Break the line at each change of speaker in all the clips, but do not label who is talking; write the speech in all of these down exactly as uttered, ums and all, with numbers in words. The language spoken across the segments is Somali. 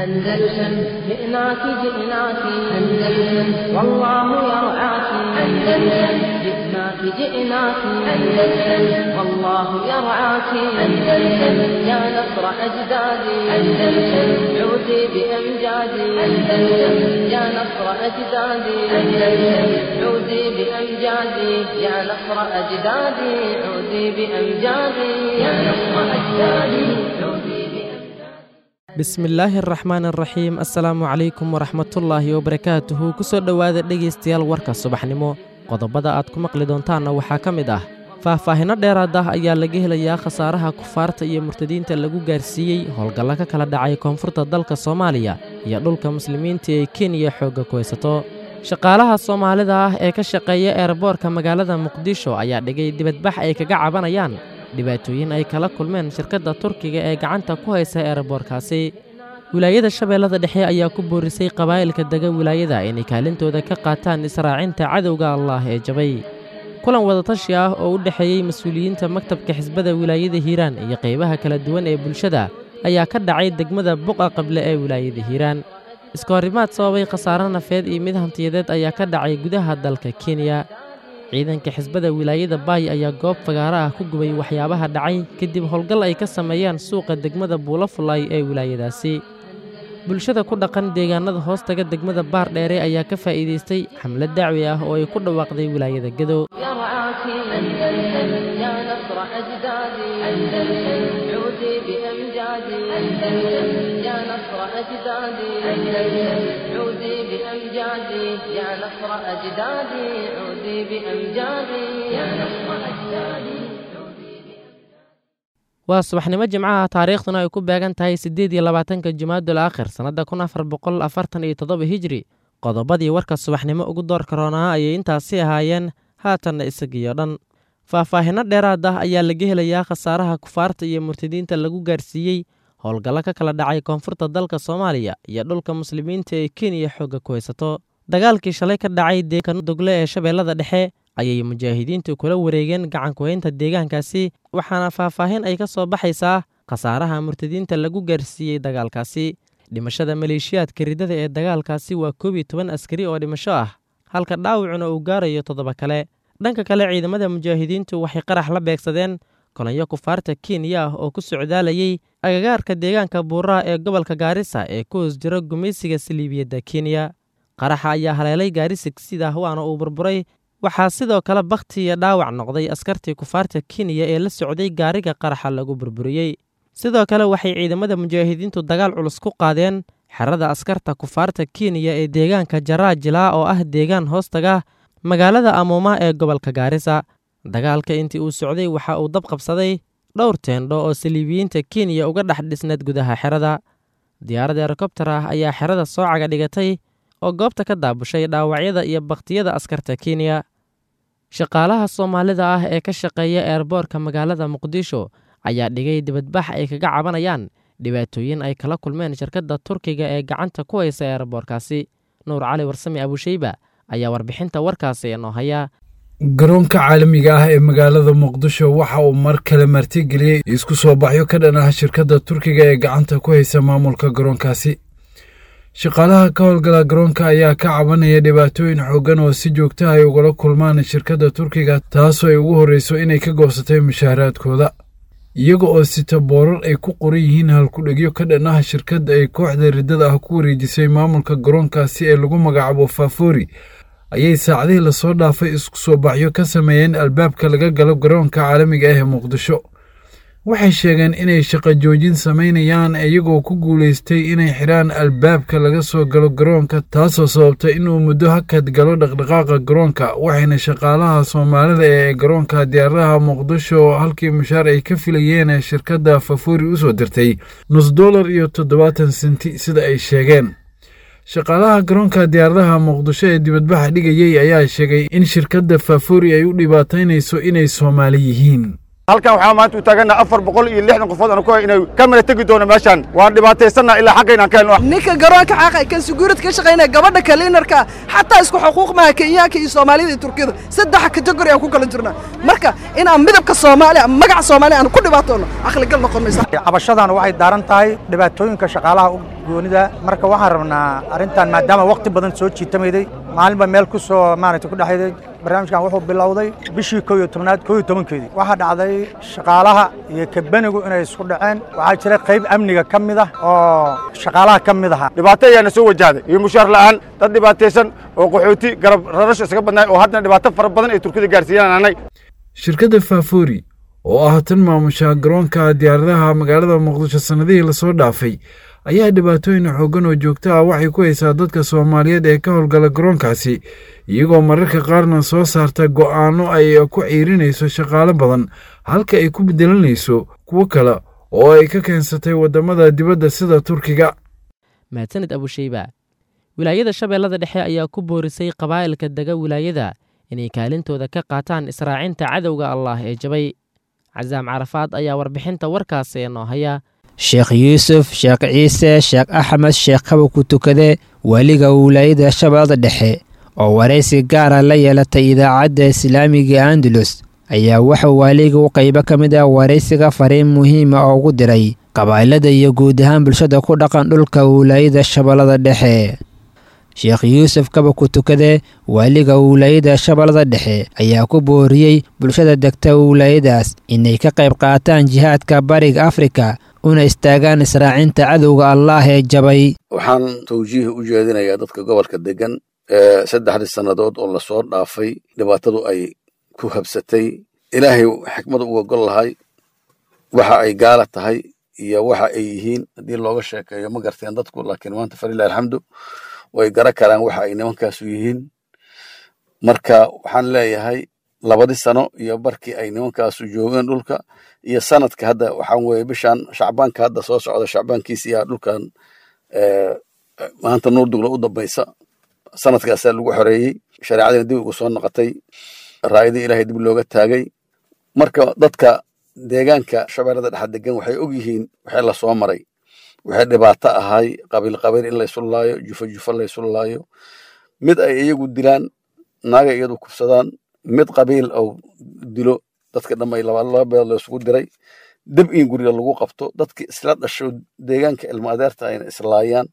أندلسن جئناك جئناك أندلسن والله يرعاك أندلسن جئناك جئناك أندلسن والله يرعاك أندلسن يا نصر أجدادي أندلسن عودي بأمجادي أندلسن يا نصر أجدادي أندلسن عودي بأمجادي يا نصر أجدادي عودي بأمجادي يا نصر أجدادي عودي.
Bismillaahi araxmaan araxiim. Assalaamu calaykum waraxmatullaahi wabarakaatuhu. Ku soo dhowaada, dhegaystayaal, warka subaxnimo. Qodobada aad ku maqli doontaanna waxaa ka mid ah: faahfaahinno dheeraad ah ayaa laga helayaa khasaaraha kufaarta iyo murtadiinta lagu gaarsiiyey howlgallo ka kala dhacay koonfurta dalka Soomaaliya iyo dhulka muslimiinta ee Kenya xoogga ku haysato. Shaqaalaha Soomaalida ah ee ka shaqeeya eerboorka magaalada Muqdisho ayaa dhigay dibadbax ay kaga cabanayaan dhibaatooyin ay kala kulmeen shirkadda Turkiga ee gacanta ku haysa eerboorkaasi. Wilaayada Shabeellada Dhexe ayaa ku boorisay qabaa'ilka dega wilaayada inay kaalintooda ka qaataan israacinta cadowga Allaah ee jabay. Kulan wadatashi ah oo u dhexeeyey mas-uuliyiinta maktabka xisbada wilaayada Hiiraan iyo qaybaha kala duwan ee bulshada ayaa ka dhacay degmada Buqa Qable ee wilaayada Hiiraan. Iskahorimaad sababay khasaare nafeed iyo mid hantiyadeed ayaa ka dhacay gudaha dalka Kenya. Ciidanka xisbada wilaayada Baay ayaa goob fagaara ah ku gubay waxyaabaha dhacay kadib howlgal ay ka sameeyeen suuqa degmada Buulafulay ee wilaayadaasi. Bulshada ku dhaqan deegaanada hoostaga degmada Baardheere ayaa ka faa'iidaystay xamlad dacwi ah oo ay ku dhawaaqday wilaayada Gadow.
يرعاك أندلسن يا نصر أجدادي أندلسن عودي بأمجادي أندلسن يا نصر أجدادي أندلسن عودي بأمجادي يا نصر أجدادي عودي بأمجادي يا نصر أجدادي.
Waa subaxnimo Jimcaha, taariikhduna ay ku beegan tahay siddeed iyo labaatanka Jumaadul Aakhir, sannadda kun afar boqol afartan iyo toddoba Hijri. Qodobadii warka subaxnimo ugu doorka roonaa ayay intaasi ahaayeen, haatanna isagiyo dhan. Faahfaahinno dheeraad ah ayaa laga helayaa khasaaraha kufaarta iyo murtadiinta lagu gaarsiiyey howlgallo ka kala dhacay koonfurta dalka Soomaaliya iyo dhulka muslimiinta ee Kenya xoogga ku haysato. Dagaalkii shalay ka dhacay deegaanka Dogle ee Shabeellada Dhexe ayay mujaahidiintu kula wareegeen gacankuhaynta deegaankaasi, waxaana faahfaahin ay ka soo baxaysaa khasaaraha murtadiinta lagu gaarsiiyey dagaalkaasi. Dhimashada maleeshiyaadka ridada ee dagaalkaasi waa koob iyo toban askari oo dhimasho ah, halka dhaawacuna uu gaarayo toddoba kale. Dhanka kale, ciidamada mujaahidiintu waxay qarax la beegsadeen kolonyo kufaarta Kenya ah oo ku socdaalayay agagaarka deegaanka Buuraha ee gobolka Gaarisa ee ku hoos jira gumaysiga saliibiyadda Kenya. Qaraxa ayaa haleelay gaari sigsidah, waana uu burburay. Waxaa sidoo kale bakhti iyo dhaawac noqday askartii kufaarta Kenya ee la socday gaariga qaraxa lagu burburiyey. Sidoo kale waxay ciidamada mujaahidiintu dagaal culus ku qaadeen xerada askarta kufaarta Kenya ee deegaanka Jaraajilaa oo ah deegaan hoostaga magaalada Amuuma ee gobolka Gaarisa. Dagaalka intii uu socday waxa uu dab qabsaday dhowr teendho oo saliibiyiinta Kenya uga dhex dhisneed gudaha xerada. Diyaarad herokobtar ah ayaa xerada soo caga dhigatay oo goobta ka daabushay dhaawacyada iyo bakhtiyada askarta Kenya. Shaqaalaha Soomaalida ah ee ka shaqeeya eerboorka magaalada Muqdisho ayaa dhigay dibadbax ay kaga cabanayaan dhibaatooyin ay kala kulmeen shirkadda Turkiga ee gacanta ku haysa eerboorkaasi. Nuur Cali Warsame Abushayba ayaa warbixinta warkaasi inoo haya.
Garoonka caalamiga ah ee magaalada Muqdisho waxa uu mar kale martigeliyey isku soo baxyo ka dhan ah shirkadda Turkiga ee gacanta ku haysa maamulka garoonkaasi. Shaqaalaha ka howlgala garoonka ayaa ka cabanaya dhibaatooyin xooggan oo si joogta ay ugala kulmaan shirkadda Turkiga, taasoo ay ugu horreyso inay ka goosatay mushaaharaadkooda, iyaga oo sita boorar ay ku qoran yihiin halkudhegyo ka dhan ah shirkadda ay kooxda riddada ah ku wareejisay maamulka garoonkaasi ee lagu magacaabo Faafori, ayay saacadihii lasoo dhaafay isku soo baxyo ka sameeyeen albaabka laga galo garoonka caalamiga ah ee Muqdisho. Waxay sheegeen inay shaqo joojin samaynayaan, iyagoo ku guulaystay inay xidhaan albaabka laga soo galo garoonka, taasoo sababtay inuu muddo hakad galo dhaqdhaqaaqa garoonka. Waxayna shaqaalaha Soomaalida ee garoonka diyaaradaha Muqdisho halkii mushaar ay ka filayeen shirkadda Fafori usoo dirtay nus dollar iyo toddobaatan senti, sida ay sheegeen. Shaqaalaha garoonka diyaaradaha Muqdisho ee dibadbaxa dhigayay ayaa sheegay in shirkadda Fafori ay u dhibaataynayso inay Soomaali yihiin.
Halkan waxaa maanta u taagannaha afar boqol iyo lixdan qofood aan ku hay inay ka mala tegi doono meeshaan. Waan dhibaataysannaha ilaa xaqayna aan ka helno.
Ninka garoonka xaqa kan suguurad ka shaqaynaya, gabadha kaliinarka, xataa isku xuquuq maaha Kenyaanka iyo Soomaalida iyo Turkiyada. Saddex kategori aan ku kala jirnaa. Marka inaan midabka Soomaaliya, magaca Soomaaliya aan ku dhibaatoono caqligal noqon maysa.
Cabashadan waxay daaran tahay dhibaatooyinka shaqaalaha u goonida. Marka waxaan rabnaa arrintan maadaama waqti badan soo jiitamayday, maalinba meel ku soo maaragtay ku dhexayday. Barnaamijkan wuxuu bilowday bishii kow iyo tobnaad kow iyo tobankeedii. Waxaa dhacday shaqaalaha iyo kabanigu inay isku dhaceen. Waxaa jira qayb amniga ka mid ah oo shaqaalaha ka mid ahaa.
Dhibaato ayaana soo wajahday iyo mushaar la'aan, dad dhibaataysan oo qaxooti garab rarasho isaga badnaay oo haddana dhibaato fara badan ay Turkida gaarsiiyaan anay.
Shirkadda Faafoori oo ah tan maamusha garoonka diyaaradaha magaalada Muqdisho sannadihii lasoo dhaafay ayaa dhibaatooyin xooggan oo joogto ah waxay ku haysaa dadka Soomaaliyeed ee ka howlgala garoonkaasi, iyagoo mararka qaarna soo saarta go'aanno ay ku ciirinayso shaqaale badan halka ay ku bedelanayso kuwo kale oo ay ka keensatay waddamada dibadda sida Turkiga.
Mahadsanid Abusheyba. Wilaayada Shabeellada Dhexe ayaa ku boorisay qabaa'ilka dega wilaayada inay kaalintooda ka qaataan israacinta cadowga Allaah ee jabay. Casaam Carafaad ayaa warbixinta warkaasi inoo haya.
Sheekh Yuusuf Sheekh Ciise Sheekh Axmed Sheekh Kaba ku tukade, weliga wilaayada Shabeellada Dhexe oo waraysi gaara la yeelatay idaacadda islaamiga Andalus, ayaa wuxuu waaliga u qaybo ka mid ah waraysiga fariin muhiima oo ugu diray qabaa'ilada iyo guud ahaan bulshada ku dhaqan dhulka wilaayada Shabeellada Dhexe. Sheekh Yuusuf Kaba ku tukade, waaliga wilaayada Shabeellada Dhexe, ayaa ku booriyey bulshada degta wilaayadaas inay ka qayb qaataan jihaadka Bariga Afrika una istaagaan israacinta cadowga Allaah ee jabay.
Waxaan tawjiih u jeedinayaa dadka gobolka degan ee saddexdii sannadood oo lasoo dhaafay dhibaatadu ay ku habsatay. Ilaahay xikmadu uga gol lahay waxa ay gaala tahay iyo waxa ay yihiin haddii looga sheekeeyo ma garteen dadku, laakiin maanta falilahi alxamdu way gara karaan waxa ay nimankaasu yihiin. Marka waxaan leeyahay labadii sano iyo barkii ay nimankaasu joogeen dhulka iyo sanadka hadda waxaan weeye bishan Shacbaanka hadda soo socda Shacbaankiisa dhulkan maanta Nuur Dugla u dambaysa sanadkaasaa lagu xoreeyey, shareecadina dib ugu soo noqotay, raayadii Ilaahay dib looga taagay. Marka dadka deegaanka Shabeellada Dhexe degan waxay og yihiin waxay la soo maray, waxay dhibaato ahay qabiil qabiil in laysu laayo, jufo jufo laysu laayo, mid ay iyagu dilaan, naaga iyadu kufsadaan, mid qabiil oo dilo dadka dhamay laba laba beelood laysugu diray, dib in guriga lagu qabto dadki isla dhasho deegaanka ilma adeerta ayna islaayaan.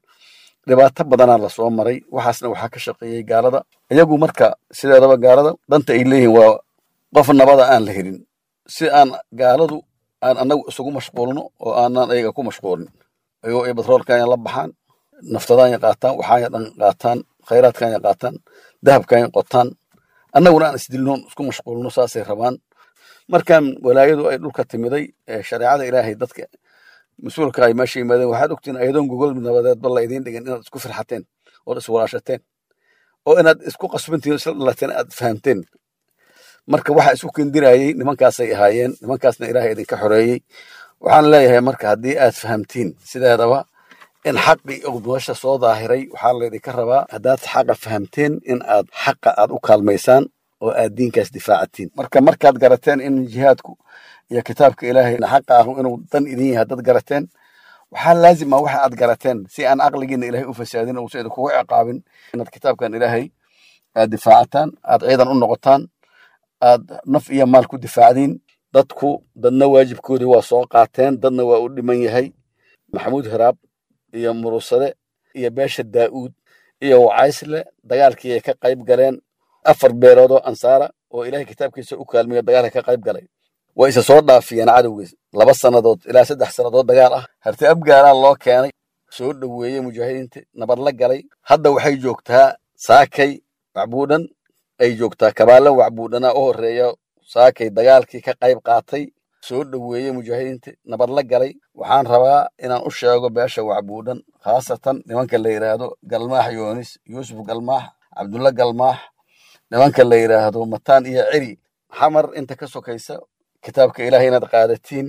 Dhibaato badanaa lasoo maray, waxaasna waxaa ka shaqeeyey gaalada iyagu. Marka sideedaba gaalada danta ay leeyihiin waa qof nabada aan la helin, si aan gaaladu aan annagu isugu mashquulno oo aanan ayaga ku mashquulin, ayagoo ay batroolkanya la baxaan, naftadaanya qaataan, waxaanya dhan qaataan, khayraadkanya qaataan, dahabkanya qotaan, annaguna aan isdilnoon isku mashquulno, saasay rabaan. Markaan walaayadu ay dhulka timiday ee shareecada Ilaahay dadka mas-uulka ay meesha yimaadeen, waxaad ogtiin ayadoon gogol nabadeedba la idiin dhigin inaad isku firxateen ood iswalaashateen oo inaad isku qasbantiin isla dhalateen aad fahamteen. Marka waxa isku kendirayey nimankaasay ahaayeen, nimankaasna Ilaahay idinka xoreeyey. Waxaan leeyahay marka haddii aad fahamtiin sideedaba in xaqii oo nolosha soo daahiray, waxaa laydinka rabaa haddaad xaqa fahamteen in aad xaqa aad u kaalmaysaan oo aad diinkaas difaacatiin. Marka markaad garateen in jihaadku iyo kitaabka Ilaahay xaqa ah inuu dan idin yahay haddaad garateen, waxaa laazim ah waxa aad garateen si aan caqligiina Ilaahay u fasaadin oo uusan idinkugu ciqaabin inaad kitaabkan Ilaahay aad difaacataan, aad ciidan u noqotaan, aad naf iyo maal ku difaacdiin. Dadku dadna waajibkoodii waa soo qaateen, dadna waa u dhiman yahay. Maxamuud Hiraab iyo Murusade iyo beesha Daa'uud iyo Wacaysle dagaalkii ay ka qayb galeen, afar beelood oo ansaara oo Ilaahay kitaabkiisa u kaalmiyo dagaalka ka qayb galay, way isa soo dhaafiyeen cadowgiis laba sannadood ilaa saddex sannadood dagaal ah. Harti Abgaalaa loo keenay, soo dhoweeyey mujaahidiinta, nabad la galay. Hadda waxay joogtaa Saakay Wacbuudhan ay joogtaa, Kabaale Wacbuudhanaa u horreeya saakay dagaalkii ka qayb qaatay, soo dhoweeyey mujaahidiinta, nabad la galay. Waxaan rabaa inaan u sheego beesha Wacbuudhan, khaasatan nimanka la yidhaahdo Galmaax Yoonis, Yuusuf Galmaax, Cabdulla Galmaax, nimanka la yidhaahdo Mataan iyo Ciri Xamar inta ka sokaysa, kitaabka Ilaahay inaad qaadatiin,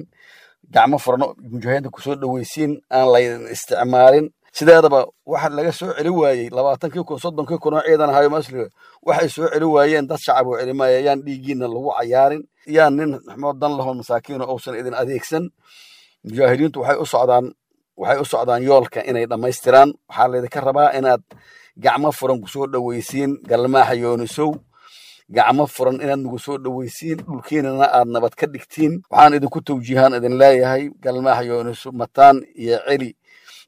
gacmo furano mujaahidiinta kusoo dhoweysiin, aan laydin isticmaalin. Sideedaba waxa laga soo celi waayey labaatankii kun soddonkii kun oo ciidan ahayo masliga waxay soo celi waayeen dad shacab oo celimaya. Yaan dhiiggiina lagu cayaarin, yaan nin xumoo dan lahoo masaakiino uusan idin adeegsan. Mujaahidiintu waxay u socdaan waxay u socdaan yoolka inay dhammaystiraan. Waxaa laydinka rabaa inaad gacmo furan kusoo dhoweysiin Galmaaxa Yoonisow, gacmo furan inaad nagu soo dhoweysiin, dhulkiinana aad nabad ka dhigtiin. Waxaan idinku tawjiihaan idin leeyahay Galmaaxa Yoonisow, Mataan iyo Celi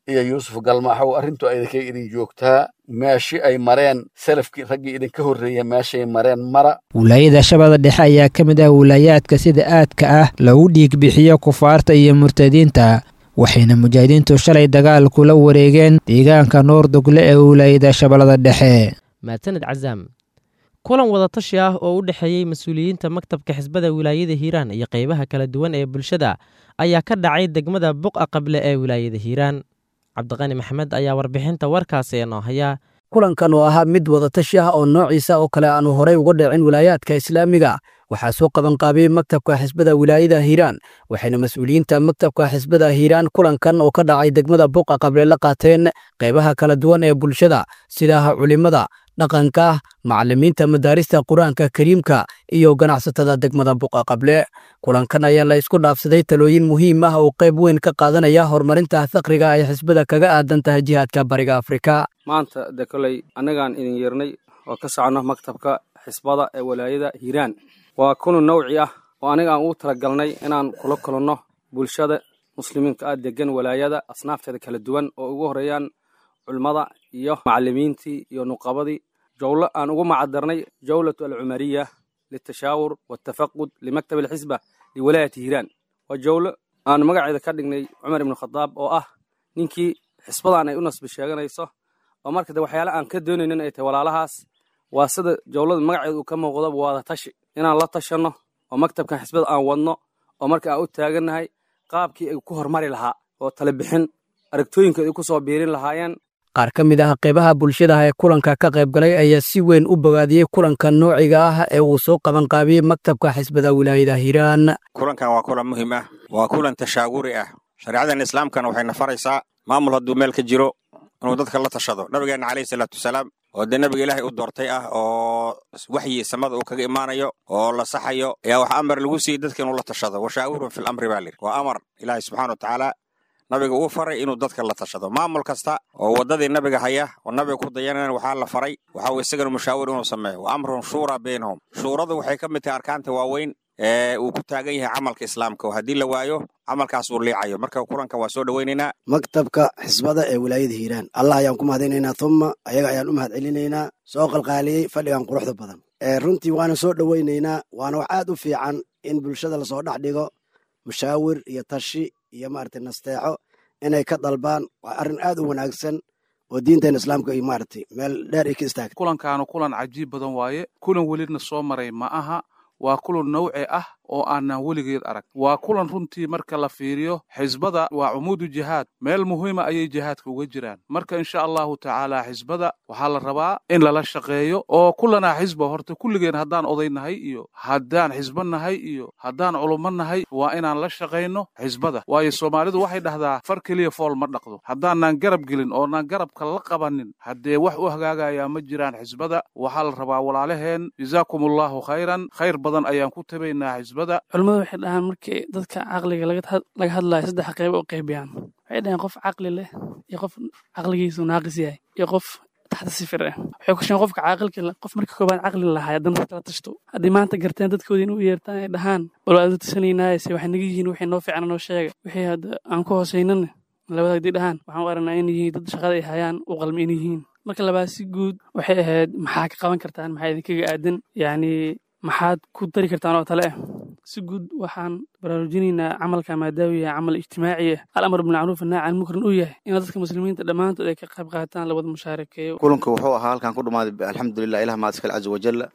iyo Yuusuf Galmaaxow, arrintu idinkay idin joogtaa. Meeshi ay mareen salafkii raggii idinka horreeya meeshay mareen mara.
Wilaayada Shabeellada Dhexe ayaa ka mid ah wilaayaadka sida aadka ah lagu dhiig bixiyo kufaarta iyo murtadiinta, waxayna mujaahidiintu shalay dagaal kula wareegeen deegaanka Noordogle ee wilaayada Shabeellada Dhexe.
Mahadsaned Casaam. Kulan wadatashi ah oo u dhexeeyey mas-uuliyiinta maktabka xisbada wilaayada Hiiraan iyo qeybaha kala duwan ee bulshada ayaa ka dhacay degmada Buqa Qable ee wilaayada Hiiraan. Cabdiqani Maxamed ayaa warbixinta warkaasi inoo haya.
Kulankan oo ahaa mid wadatashi ah oo noociisa oo kale aanu horey uga dhicin wilaayaadka islaamiga waxaa soo qabanqaabiyey maktabka xisbada wilaayada Hiiraan, waxayna mas-uuliyiinta maktabka xisbada Hiiraan kulankan oo ka dhacay degmada Buqa Qable la qaateen qaybaha kala duwan ee bulshada sida culimada dhaqanka, macallimiinta madaarista Qur-aanka Kariimka iyo ganacsatada degmada Buqa Qable. Kulankan ayaa la isku dhaafsaday talooyin muhiim ah oo qayb weyn ka qaadanaya horumarinta faqriga ay xisbada kaga aadan tahay jihaadka Bariga Afrika.
Maanta de koley annagaan idin yeernay oo ka socono maktabka xisbada ee walaayada Hiiraan. Waa kulan nawci ah oo aniga aan ugu talagalnay inaan kula kulanno bulshada muslimiinka ah degan walaayada asnaafteeda kala duwan oo ugu horeeyaan culimmada iyo macallimiintii iyo nuqabadii. Jawlo aan ugu macadarnay jawlatu alcumariya litashaawur waltafaqud limaktab alxisba liwalaayati Hiiraan. Waa jawlo aan magaceeda ka dhignay Cumar ibnu Khadaab oo ah ninkii xisbadan ay u nasbi sheeganayso, oo marka de waxyaala aan ka doonaynin ay tahay walaalahaas. Waa sida jawlada magaceeda uu ka muuqdo, waada tashi inaan la tashanno oo maktabkan xisbada aan wadno oo marka aan u taagannahay qaabkii ay ku hormari lahaa oo tala bixin aragtooyinka ay ku soo biirin lahaayeen.
Qaar ka mid ah qaybaha bulshada ee kulanka ka qayb galay ayaa si weyn u bogaadiyey kulanka noociga ah ee uu soo qabanqaabiyey maktabka xisbada wilaayada Hiiraan.
Kulankan waa kulan muhiim ah, waa kulan tashaawuri ah. Shareecadan islaamkana waxay nafaraysaa maamul hadduu meel ka jiro inuu dadka la tashado. Nabigeena calayhi salaatu wasalaam oo dee nabiga ilaahay u doortay ah oo waxyi samada uu kaga imaanayo oo la saxayo ayaa waxa amar lagu siiyey dadka inuu la tashado. Washaawirun fil amri baa layidhi. Waa amar ilaahay subxaana wa tacaala nabiga uu faray inuu dadka la tashado. Maamul kasta oo waddadii nabiga haya oo nabiga ku dayanana waxaa la faray waxa uu isagana mushaawir inuu sameeyo. Wa amrun shuuraa baynahum. Shuuradu waxay ka mid tahay arkaanta waaweyn ee uu ku taagan yahay camalka islaamka, oo haddii la waayo camalkaas uu liicayo. Marka kulankan waa soo dhoweynaynaa.
Maktabka xisbada ee wilaayada Hiiraan Allah ayaan ku mahadinaynaa, thumma ayaga ayaan u mahad celinaynaa soo qalqaaliyey fadhigan quruxda badan. Runtii waana soo dhoweynaynaa, waana wax aad u fiican in bulshada lasoo dhex dhigo mushaawir iyo tashi iyo maaragtay nasteexo inay ka dalbaan. Waa arrin aad u wanaagsan oo diinteena islaamka iyo maaragtay meel dheer ay ka istaagtay.
Kulankaanu kulan cajiib badan waaye, kulan welina soo maray ma aha. Waa kulan nawci ah oo aanan weligeed arag. Waa kulan runtii marka la fiiriyo xisbada waa cumuudu jihaad, meel muhiima ayay jihaadka uga jiraan. Marka insha allahu tacaala xisbada waxaa la rabaa in lala shaqeeyo oo kulanaa xisba horta kulligeen haddaan oday nahay iyo haddaan xisbo nahay iyo haddaan culummo nahay waa inaan la shaqayno xisbada. Waayo Soomaalidu waxay dhahdaa far keliya fool ma dhaqdo. Haddaanaan garab gelin oonaan garabka la qabanin haddee wax u hagaagayaa ma jiraan xisbada. Waxaa la rabaa walaalaheen, jazaakum allahu khayran, khayr badan ayaan ku tabaynaa xisbada.
Culimmadu waxay dhahaan markii dadka caqliga laga hadlayo saddex qayb oo qaybiyaan. Waxay dhaheen qof caqli leh iyo qof caqligiisu naaqis yahay iyo qof taxta sifir ah. Waxay ku sheegeen qofka caaqilka leh, qof markii koobaad caqli lahaa haddana kala tashto. Haddii maanta garteen dadkoodii inuu yeertaan ay dhahaan bal waa la tashanaynaa se waxay naga yihiin wixii noo fiican noo sheega, wixii hadda aan ku hooseynana labada haddii dhahaan waxaan u aragnaa in yihiin dad shaqada ay hayaan u qalmi in yihiin. Marka labaad si guud waxay ahayd maxaa ka qaban kartaan, maxaa idinkaga aadan, yacni maxaad ku dari kartaan oo tale ah. Si guud waxaan baraarujinaynaa camalka maadaama yahay camal ijtimaaci ah, al-amr bilmacruuf annahy can munkarin uu yahay in dadka muslimiinta dhammaantood ay ka qayb qaataan, la wada mushaarakeeyo.
Kulanka wuxuu ahaa halkan ku dhammaaday alxamdulilah, ilah mahad iskale caza wajalla.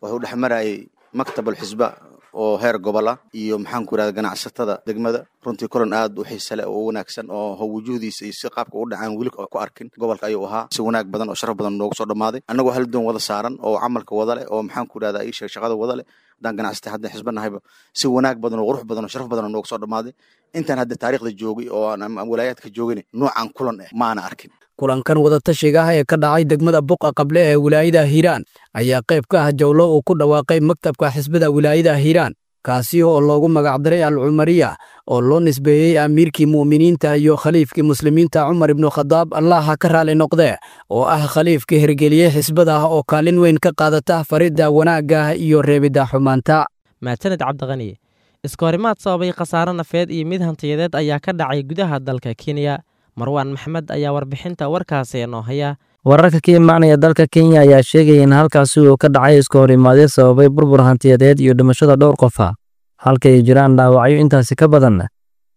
Wuxuu dhex marayay maktab alxisba oo heer gobol ah iyo maxaan ku yidhahda ganacsatada degmada. Runtii kulan aad u xiise leh oo u wanaagsan oo wujuhdiisa iyo si qaabka u dhacaan weli ku arkin gobolka ayuu ahaa. Si wanaag badan oo sharaf badan noogu soo dhammaaday, annagoo hal doon wada saaran oo camalka wada leh oo maxaan ku yidhahda ii sheeg shaqada wada leh Haddaan ganacsata hadda xisba nahayba si wanaag badan oo qurux badan oo sharaf badan oo nooga soo dhammaaday. Intaan hadda taariikhda joogay oo aan walaayaadka joogin noocan kulan eh maana arkin.
Kulankan wadatashiga ah ee ka dhacay degmada Buqa Qable ee wilaayada Hiiraan ayaa qayb ka ah jawlo uu ku dhawaaqay maktabka xisbada wilaayada Hiiraan, kaasi oo loogu magacdaray Al-Cumariya oo loo nisbeeyey amiirkii mu'miniinta iyo khaliifkii muslimiinta Cumar ibnu Khadaab, Allah ha ka raali noqdee, oo ah khaliifkii hirgeliyey xisbada oo kaalin weyn ka qaadata faridda wanaagga iyo reebidda xumaanta.
Maasanid Cabdiqani. Iskahorimaad sababay khasaare nafeed iyo mid hantiyadeed ayaa ka dhacay gudaha dalka Kenya. Marwaan Maxmed ayaa warbixinta warkaasi inoo haya.
Wararka ka imaanaya dalka Kenya ayaa sheegaya in halkaasi uu ka dhacay iska horimaadyo sababay burbur hantiyadeed iyo dhimashada dhowr qof ah, halka ay jiraan dhaawacyo intaasi ka badan.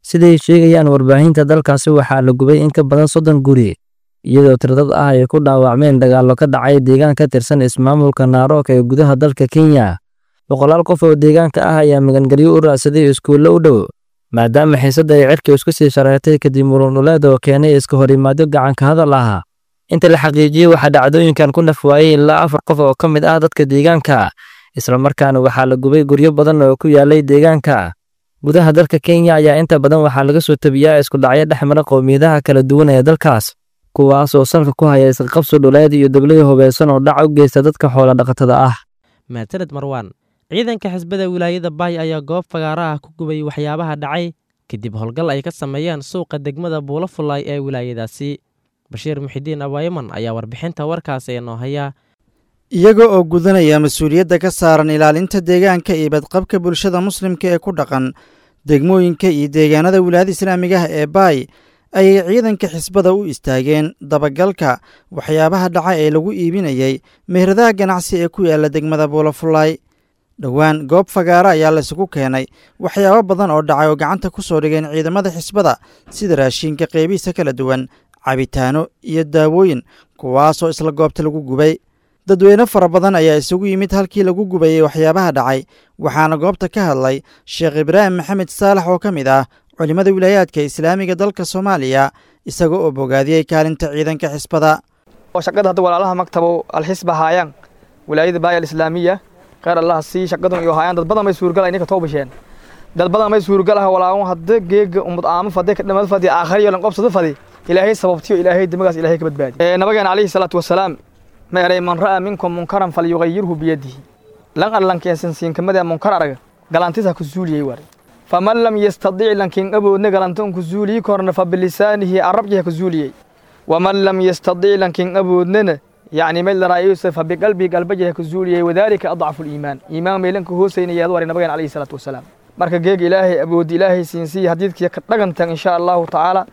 Siday sheegayaan warbaahinta dalkaasi, waxaa la gubay in ka badan soddon guri, iyadoo tiradad ah ay ku dhaawacmeen dagaallo ka dhacay deegaan ka tirsan ismaamulka Narok ee gudaha dalka Kenya. Boqolaal qof oo deegaanka ah ayaa magangelyo u raadsaday iskuullo u dhow, maadaama xiisadda ay cirka isku sii shareertay kadib muran dhuleed oo keenay iska horimaadyo gacanka hadal ah. Inta la xaqiijiyey, waxaa dhacdooyinkan ku naf waayey ilaa afar qof oo ka mid ah dadka deegaanka, islamarkaana waxaa la gubay guryo badan oo ku yaalay deegaanka. Gudaha dalka Kenya ayaa inta badan waxaa laga soo tabiyaa isku dhacyo dhex mara qowmiyadaha kala duwan ee dalkaas, kuwaas oo salka ku haya isqabsi dhuleed iyo dablay hubeysan oo dhac u geysta dadka xoola dhaqatada ah.
Maasanid Marwaan. Ciidanka xisbada wilaayada Baay ayaa goob fagaara ah ku gubay waxyaabaha dhacay kadib howlgal ay ka sameeyeen suuqa degmada Buulo Fullaay ee wilaayadaasi. Bashiir Muxidiin Abaayaman ayaa warbixinta warkaasi inoo haya.
Iyaga oo gudanaya mas-uuliyadda ka saaran ilaalinta deegaanka iyo badqabka bulshada muslimka ee ku dhaqan degmooyinka iyo deegaanada wilaayada islaamiga ah ee Baay, ayay ciidanka xisbada u istaageen dabagalka waxyaabaha dhaca ee lagu iibinayay meheradaha ganacsi ee ku yaala degmada Buulafullaay. Dhowaan goob fagaara ayaa laysugu keenay waxyaabo badan oo dhacay oo gacanta ku soo dhigeen ciidamada xisbada, sida raashinka qeybihiisa kala duwan, cabitaano iyo daawooyin, kuwaasoo isla goobta lagu gubay. Dadweyne fara badan ayaa isugu yimid halkii lagu gubayey waxyaabaha dhacay, waxaana goobta ka hadlay Sheekh Ibraahim Maxamed Saalax oo ka mid ah culimmada wilaayaadka islaamiga dalka Soomaaliya, isaga oo bogaadiyey kaalinta ciidanka xisbada.
Shaqada hadda walaalaha maktabow alxisba haayaan wilaayada Baay alislaamiya, khayr Allah sii shaqadan iyo haayaan. Dad badan may suurgal inay ka toobasheen, dad badan may suurgal ah walaawan hadda geega ummad aamo fadhi ka dhamad fadhi aakhir lan qobsada fadhi Ilaahay sababtiyo Ilaahay dimagaas Ilaahay ka badbaadi. Ee nabageena calayhi salaatu wasalaam ma eray man ra'a minkum munkaran falyughayyirhu biyadihi, lan allan keensan siin kamada munkar araga galantiisa ku zuuliyay war, faman lam yastadi' lankin aboodna galantan ku zuuliyi korna fa bilisaanihi arabjiha ku zuuliyay, waman lam yastadi' lankin aboodnana yacni meel la raayay fa biqalbi qalbiga ku zuuliyay, wadaalika adcafu aliimaan, iimaan meelanka hooseynaya war nabageena calayhi salaatu wasalaam. Marka geeg Ilaahay abood Ilaahay siinsiiya hadiidkiya ka dhagantan insha Allahu tacaala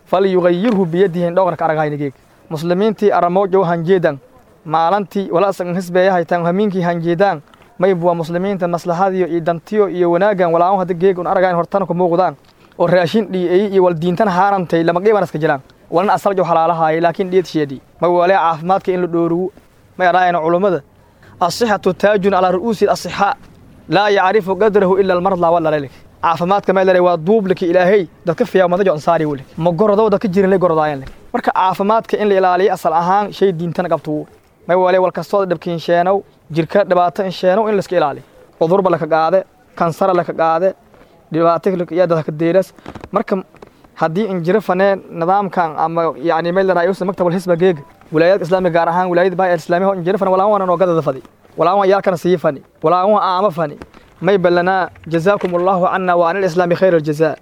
falyughayyirhu biyadihi dhowrka aragayna geeg muslimiintii aramoojo hanjeedan maalantii walaasan hisbeeya haytaan hamiinkii hanjeedaan mayb waa muslimiinta maslaxadiyo iyo dantiyo iyo wanaagan walaawan hadda geeg un aragayn hortana ku muuqdaan oo raashin dhiyay iyo wal diintan haaramtay lama qiiban iska jiraan walna asaljo xalaalahaay laakiin dhiyad sheedi ma walee caafimaadka in la dhoorugo ma yaraayna culummada asixatu taajun ala ru'uusi asixa laa yacrifu qadrahu ila almarda wala lalik caafimaadka ma leeyahay waa duubliki Ilaahay dadka fiyaa madajo ansaari wali ma gorado dadka jirin lay gorodayaan. Marka caafimaadka in la ilaaliyo asal ahaan shay diintan qabto may wale wal kastoo dhabkiin sheenow jirka dhibaato in sheenow in la iska ilaaliyo cudurba la ka qaade kansar la ka qaade dhibaato iyo dadka deeras. Marka haddii in jiro faneen nidaamkan ama yacni meel la raayo maktab hisba geeg wilaayada islaamiga gaar ahaan wilaayada Baay islaamiga in jiro fan walaa waan oo gadada fadi walaa waan yaalkana sii fani walaa waan aama fani may balana jazaakum Allahu anna wa anil islaami khayr aljazaa.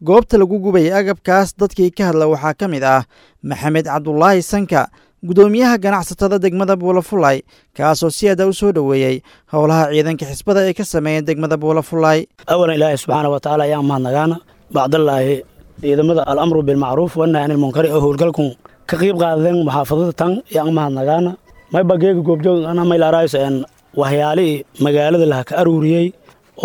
Goobta lagu gubayay agabkaas dadkii ka hadla waxaa ka mid ah Maxamed Cabdulaahi Sanka, gudoomiyaha ganacsatada degmada Buulafulay, kaasoo si aada u soo dhoweeyey howlaha ciidanka xisbada ay ka sameeyeen degmada Buulafulay.
Awalan Ilaahay subxaana wa tacaala ayaan mahadnagaana, bacdallaahi ciidamada alamru bilmacruuf wannahy anil munkari oo howlgalkun ka qayb qaadeen muxaafadada tan ayaan mahadnagaana. Mayba geega goobjoog ana maylaaraayso een waxyaalihii magaalada laha ka aruuriyey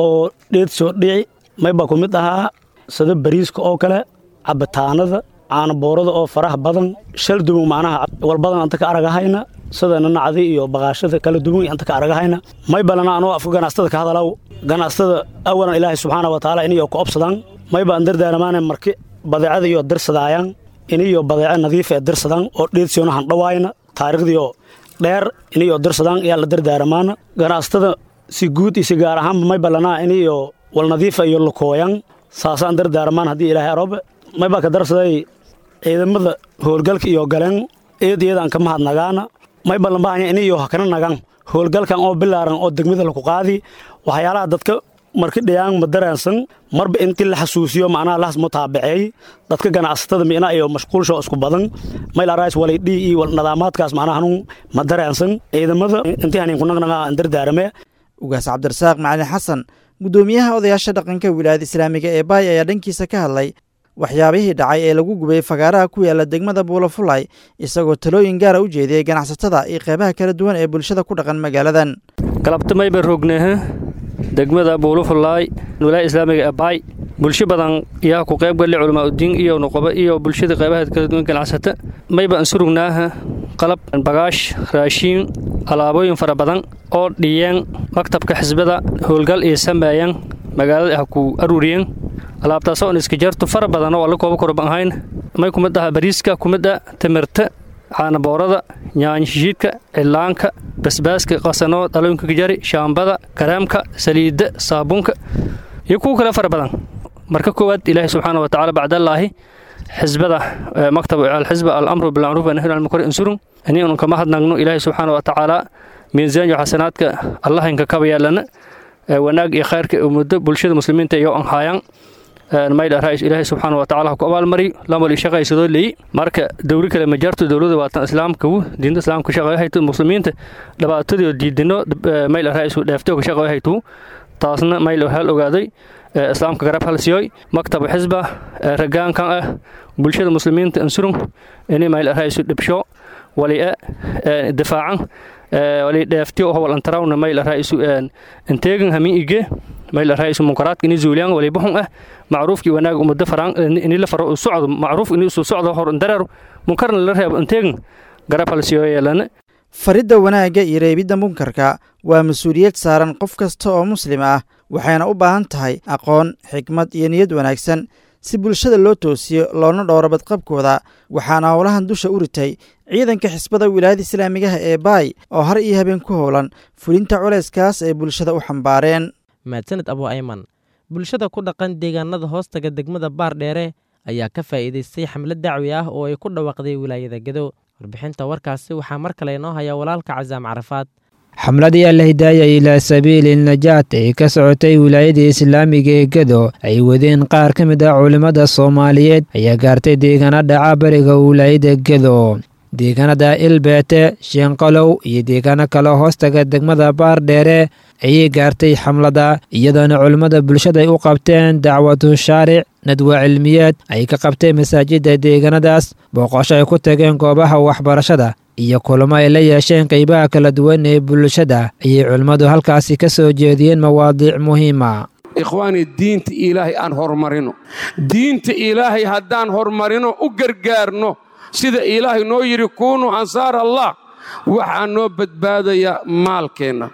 oo dheed soo dhici mayba ku mid ahaa sida bariiska oo kale, cabitaanada, caanaboorada oo faraha badan shal duwan, macnaha walbadan anta ka aragahayna sida nanacdi iyo baqaashada kala duwan anta ka aragahayna. May balana anoo afka ganacsatada ka hadalaw ganacsatada awalan Ilaahay subxaana wa tacaala inayo ku obsadaan mayba aan dardaaramaana marki badeecada iyo dirsadaayaan inayo badeeco nadiif ee dirsadaan oo dheedsiyoona handhawaayna taariikhdiyo dheer inayo dirsadaan ayaa la dardaaramaana ganacsatada. Si guud iyo si gaar ahaanba may ballanaa iniyo wal nadiifa iyo lukooyan saasaan dardaarmaan haddii ilaahay aroobe mayba ka darsaday ciidamada howlgalka iyo galeen eed iyadaan ka mahadnagaana may ballan baahanya iniyo hakana nagan howlgalkan oo bilaaran oo degmada laku qaadi waxyaalaha dadka marki dhiyaan ma dareensan marba intii la xasuusiyo macnaha lahas mutaabaceey dadka ganacsatada miina iyo mashquulsho isku badan mayla rays walay dhii iyo nidaamaadkaas macnaha hanun ma dareensan ciidamada intii hanin ku nagnagaa dardaarame.
Ugaas Cabdirasaaq Macalin Xasan, guddoomiyaha odayaasha dhaqanka wilaayada islaamiga ee Baay, ayaa dhankiisa ka hadlay waxyaabihii dhacay ee lagu gubay fagaaraha ku yaala degmada Buulafulay, isagoo talooyin gaara u jeediyey ganacsatada iyo qeybaha kala duwan ee bulshada ku dhaqan magaaladan.
Galabtamay baan roognehe degmada Buulafulay, wilaayada islaamiga ee Baay. Bulsho badan yaa ku qayb galay, culamaa udiin iyo nuqaba iyo bulshada qeybaha kala duwan ganacsata. Mayba aan surugnaaha qalab, bagaash, raashiin, alaabooyin fara badan oo dhiyeen maktabka xisbada howlgal iyo sameeyeen magaalada ah ku aruuriyeen. Alaabtaasoo on iska jarto fara badan oo alla kooba korban ahayn may kumid aha bariiska, kumid ah timirta, caanaboorada, yaanyo shishiidka, cillaanka, basbaaska qasanoo dhalooyinka gajari, shaambada, kareemka, saliidda, saabuunka iyo kuwo kale fara badan. Marka koowaad Ilaahay subxaana wa tacaala, bacdallaahi xisbada maktab alxisba alamru bilmacruuf wa nahyu anil munkar insurun ani unu kama hadnagno. Ilaahay subxaana wa tacaala miisaan iyo xasanaadka Allah inka kaba yeelana wanaag iyo khayrka muddo bulshada muslimiinta iyo an haayaan mayl ra'iis Ilaahay subxaana wa tacaala ku abaalmari lamali shaqaysadoo leeyi. Marka dowri kale ma jarto, dowladda waatan islaamka diinta islaamka shaqay hayto, muslimiinta dhibaatadii diidino mayl ra'iis dheeftay ka shaqay hayto, taasna mayl hal ogaaday islaamka garab hal siyoy maktab xisba ragaankan ah bulshada muslimiinta ansurun inay mayl ra'iis dhibsho wali difaacan wali dheeftiyo oo wal antarawna mayl ra'iis inteegan hamin ige mayl ra'iis munkaraadka inay zuuliyaan wali buxun ah macruufkii wanaag umada faraan inay la faro socdo, macruuf inay soo socdo hor darar, munkarna la reebo, inteegan garab hal siyoy yeelana.
Faridda wanaagga iyo reebidda munkarka waa mas-uuliyad saaran qof kasta oo muslim ah, waxayna u baahan tahay aqoon, xikmad iyo niyad wanaagsan si bulshada loo toosiyo loona dhowro badqabkooda. Waxaana howlahan dusha u ritay ciidanka xisbada wilaayada islaamigaha ee Baay oo har iyo habeen ku howlan fulinta culayskaas ay bulshada u xambaareen.
Mahadsaned Abu Ayman. Bulshada ku dhaqan deegaanada hoostaga degmada Baardheere ayaa ka faa'iidaystay xamlad dacwi ah oo ay ku dhawaaqday wilaayada Gedo. Warbixinta warkaasi waxaa mar kale inoo haya walaalka Casaam Carafaad.
Xamladii Alhidaaya ilaa sabiili najaat ee ka socotay wilaayada islaamiga ee Gedo ay wadeen qaar ka mid ah culimmada Soomaaliyeed ayaa gaartay deegaana dhaca bariga wilaayada Gedo, deegaanada Ilbeete, Sheenqalow iyo deegaano kale hoostaga degmada Baardheere ayay gaartay xamlada, iyadoona culimmada bulshada ay u qabteen dacwatu shaaric, nadwa cilmiyeed ay ka qabteen masaajida deegaanadaas, booqosho ay ku tageen goobaha waxbarashada iyo kulamo ay la yeesheen qeybaha kala duwan ee bulshada. Ayay culimmadu halkaasi ka soo jeediyeen mawaadiic muhiima.
Ikhwaani, diinta Ilaahay aan horumarino. Diinta Ilaahay haddaan horumarino, u gargaarno sida Ilaahay noo yidhi kuunuu ansaar Allah, waxaa noo badbaadaya maalkeenna,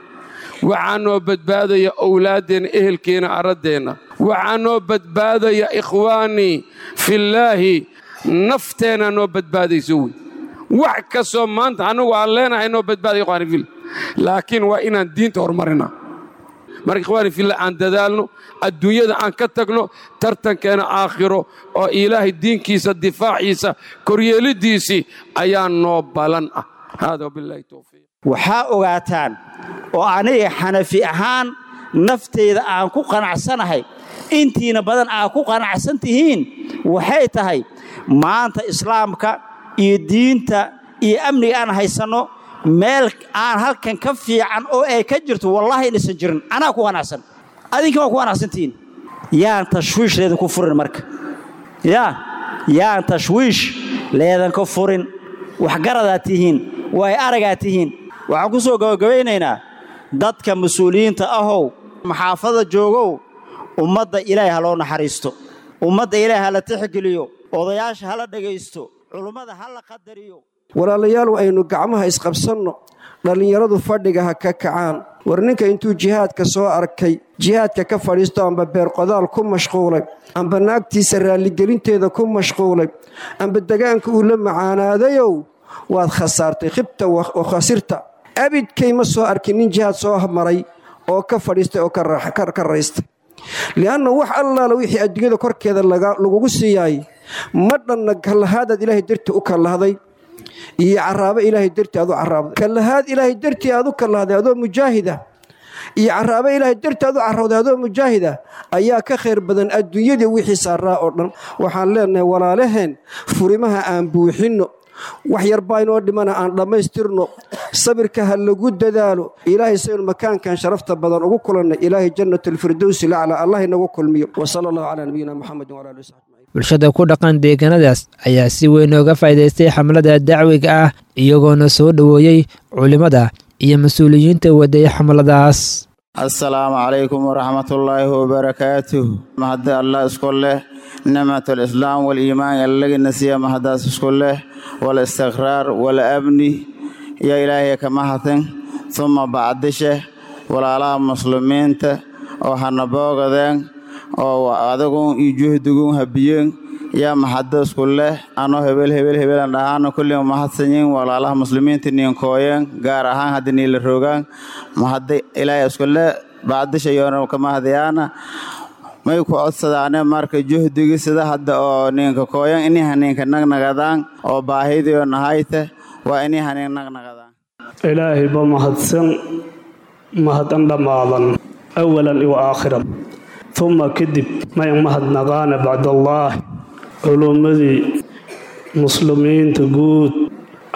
waxaa noo badbaadaya owlaaddeenna, ehelkeenna, arraddeenna, waxaa noo badbaadaya ikhwaanii fillaahi nafteenna noo badbaadayso wey. Wax kastoo maanta annagu aan leenahay noo badbaadaya ikhwaani fillah, laakiin waa inaan diinta horumarinaa. Marka ikhwaani fillah, aan dadaalno, adduunyada aan ka tagno, tartankeena aakhiro oo Ilaahay diinkiisa difaaciisa koryeelidiisii ayaa noo balan ah. Hada wabillahi towfiiq.
Waxaa ogaataan oo aniga Xanafi ahaan nafteyda aan ku qanacsanahay, intiina badan aa ku qanacsan tihiin, waxay tahay maanta islaamka iyo diinta iyo amniga aan haysanno meel aan halkan ka fiican oo ay ka jirto wallaahi inaysan jirin. Anaa ku qanacsan, adinka waa ku qanacsantihiin. Yaan tashwiish leedan ku furin marka, yaa yaan tashwiish leedan ka furin. Waxgaradaa tihiin, way aragaa tihiin. Waxaan ku soo gabagabaynaynaa dadka mas-uuliyiinta ahow, maxaafada joogow, ummadda Ilaahay ha loo naxariisto, ummadda Ilaahay ha la tixgeliyo, odayaasha ha la dhegaysto, culummada ha la qadariyo.
Walaalayaal, aynu gacmaha isqabsanno, dhallinyaradu fadhiga ha ka kacaan. War ninka intuu jihaadka soo arkay jihaadka ka fadhiisto, amba beerqodaal ku mashquulay, amba naagtiisa raalligelinteeda ku mashquulay, amba degaanka uu la macaanaadayow, waad khasaartay, khibta wa khasirta. Abidkay ma soo arkin nin jihaad soo maray oo ka fadhiistay oo ka raystay. Lianna wax allaala wixii adduunyada korkeeda lagugu siiyaay ma dhanna kallahaadaad ilaahay dartii u kallahday iyo caraabo ilaahay dartii aad u caraabday. Kallahaad ilaahay dartii aad u kallahday adoo mujaahida iyo caraabo ilaahay dartii aad u carrawday adoo mujaahida ayaa ka khayr badan adduunyadii wixii saaraa oo dhan. Waxaan leenahay walaalaheen, furimaha aan buuxinno, wax yar baa inoo dhimana aan dhammaystirno, sabirka ha lagu dadaalo. Ilaahay saynu makaankan sharafta badan ugu kulannay, ilaahay jannatulfirdowsi lacla allah inagu kulmiyo. Wasala allahu calaa nabiyina Muxamed wala alihi wasaxbi.
Bulshada ku dhaqan deegaanadaas ayaa si weyn ooga faa'iidaystay xamlada dacwiga ah, iyagoona soo dhoweeyey culimmada iyo mas-uuliyiinta waday xamladaas.
Asalaamu calaykum waraxmatullaahi wabarakaatuh. Mahadda Allah isku leh, nicmat alislaam waliimaan allagina siiya, mahaddaas isku leh, walistiqraar walamni iyo Ilaahay ka mahadsan. Suma bacdishe, walaalaha muslimiinta oo hana boogadeen oo adagun iyo juhdigun habiyeen yaa mahadda isku leh. Anoo hebel hebel hebelan dhahaano, kulliin mahadsanyiin walaalaha muslimiinta niinkooyeen, gaar ahaan hadda niila roogaan. Mahadda Ilaahay isku leh, bacdisha yoona ka mahadayaana. May ku codsadaane marka juhdigi sida hadda oo ninka kooyan iniha ninka nagnagadaan oo baahidiyo nahayte waa iniha nin nagnagadaan.
Ilaahay ba mahadsan, mahadan dhammaadan awalan iyo aakhiran. Uma kadib may mahadnaqaana bacdallaah culummadii muslimiinta guud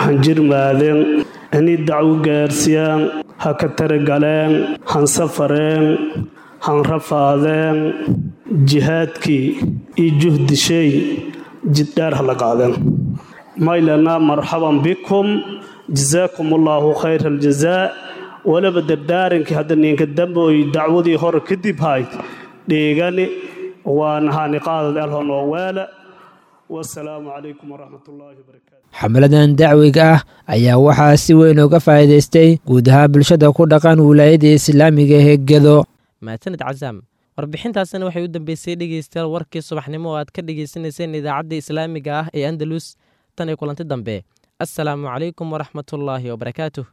hanjirmaadeen inay dacwo gaarsiiyaan, ha ka taragaleen, han safareen, han rafaadeen, jihaadkii iyo juhdishay jiddheer ha la qaadeen. Maylana marxaban bikum, jazaakum allaahu khayra aljazaa. Waliba dardaarankii hadda ninka dambooy dacwadii hore kadib hayd dheegani waan haaniqaadad alhon oo weela. Wasalaamu calaykum waraxmatullaahi wabarakaatu.
Xamladan dacwiga ah ayaa waxaa si weyn uga faa'iidaystay guud ahaan bulshada ku dhaqan wilaayada islaamiga ee Gedo.
Mahadsanid Casaam. Warbixintaasina waxay u dambeysay, dhegeystayaal, warkii subaxnimo oo aad ka dhegeysanayseen idaacadda islaamiga ah ee Andalus. Tan iyo kulanti dambe, assalaamu calaykum waraxmatullaahi wabarakaatuh.